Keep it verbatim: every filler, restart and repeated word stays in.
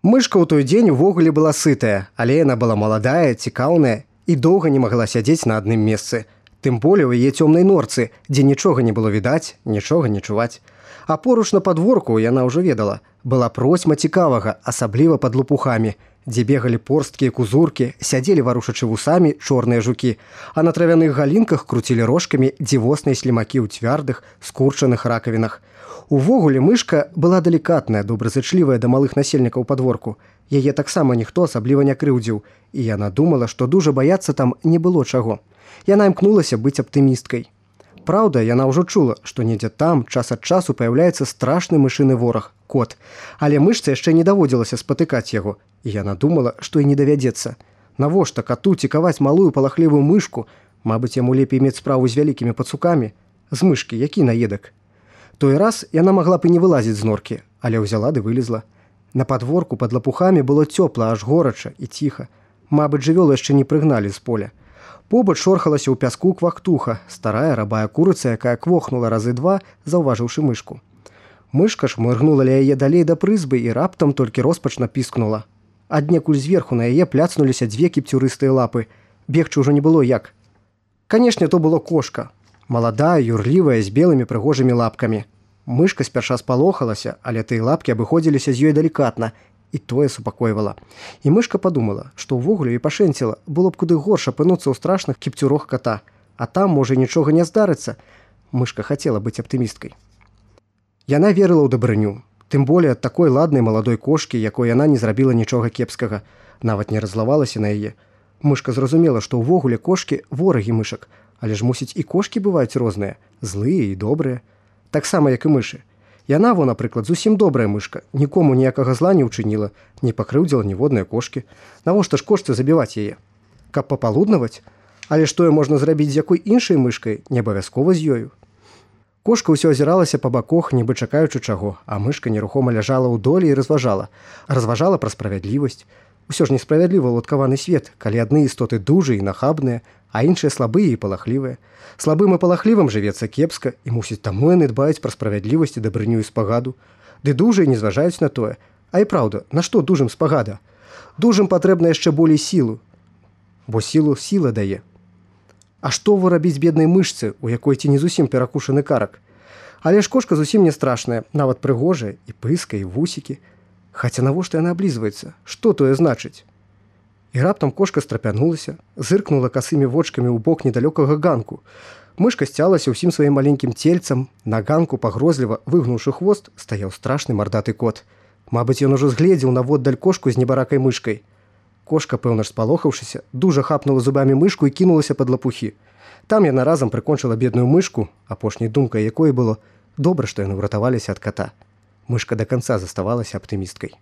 Мышка ў той дзень увогуле была сытая, але яна была маладая, цікаўная і доўга не магла сядзець на адным месцы. Тым болей у яе цёмнай норцы, дзе нічога не было відаць, нічога не чуваць. А поруч на падворку, яна ўжо ведала, была процьма цікавага, асабліва пад лопухамі, дзе бегалі порсткія кузуркі, сядзелі варушачы вусамі чорныя жукі, а на травяных галінках круцілі рожкамі дзівосныя слімакі ў цвярдых, скурчаных ракавінах. Увогуле мышка была далікатная, добразычлівая да малых насельнікаў падворку. Яе таксама ніхто асабліва не крыўдзіў, і яна думала, што дужа баяцца там не было чаго. Яна імкнулася быць аптымісткай. Праўда, яна ўжо чула, што недзе там час ад часу паяўляецца страшны мышыны вораг – кот. Але мышцы яшчэ не даводзілася спатыкаць яго, і яна думала, што і не давядзецца. Навошта кату цікаваць малую палахлівую мышку? Мабыць, яму лепей мець справу з вялікімі пацукамі. З мышкі, які наедак? Той раз яна магла б і не вылазіць з норкі, але ўзяла ды вылезла. На падворку пад лапухамі было цёпла, аж горача і ціха. Мабыць, жывёлу яшчэ не прыгналі з поля. Побач шорхалася ў пяску квактуха, старая рабая курыца, якая квохнула разы два, заўважыўшы мышку. Мышка ж мыргнула ля яе далей да прызбы і раптам толькі роспачна піскнула. Аднекуль зверху на яе пляцнуліся дзве кіпцюрыстыя лапы. Бегчы ўжо не было як. Канешне, то было кошка. Маладая, юрлівая, з белымі прыгожымі лапкамі. Мышка спярша спалохалася, але тыя лапкі абыходзіліся з ёй далікатна, і тое супакойвала. І мышка падумала, што ўвогуле і пашэнціла, было б куды горш апынуцца ў страшных кіпцюрох ката. А там, можа, нічога не здарыцца. Мышка хацела быць аптымісткай. Яна верыла ў дабрыню. Тым болей ад такой ладнай маладой кошкі, якой яна не зрабіла нічога кепскага. Нават не раззлавалася на яе. Мышка зразумела, што ўвогуле кошкі ворагі мышак. Але ж, мусіць, і кошкі бываюць розныя, злыя і добрыя. Таксама, як і мышы. Яна, во, напрыклад, зусім добрая мышка, нікому ніякага зла не ўчыніла, не пакрыўдзіла ніводнай кошкі. Навошта ж кошцы забіваць яе? Каб папалуднаваць? Але ж тое можна зрабіць з якой іншай мышкай, не абавязкова з ёю. Кошка ўсё азіралася па бакох, нібы чакаючы чаго, а мышка нерухома ляжала ў долі і разважала. Разважала пра справядлівасць. Усё ж несправядліва ўладкаваны свет, калі адны істоты дужыя і нахабныя, а іншыя слабыя і палахлівыя. Слабым і палахлівым жывецца кепска, і мусіць таму яны дбаюць пра справядлівасць і дабрыню і спагаду. Ды дужыя не зважаюць на тое. А і праўда, на што дужым спагада? Дужым патрэбна яшчэ болей сілу, бо сілу сіла дае. А што во рабіць беднай мышцы, у якой ці не зусім перакушаны карак? Але ж кошка зусім не страшная, нават прыгожая, і пыска, і вусікі. Хаця навошта яна аблізваецца? Што тое значыць? І раптам кошка страпянулася, зыркнула касымі вочкамі ў бок недалёкага ганку. Мышка сцялася ўсім сваім маленькім цельцам, на ганку пагрозліва, выгнуўшы хвост, стаяў страшны мардаты кот. Мабыць, ён ужо згледзеў наводдаль кошку з небаракай мышкай. Кошка, пэўна ж спалохаўшыся, дужа хапнула зубамі мышку і кінулася пад лапухі. Там яна разам прыкончыла бедную мышку, апошняй думкай якой было: добра, што яны ўратаваліся ад ката. Мышка да канца заставалася аптымісткай.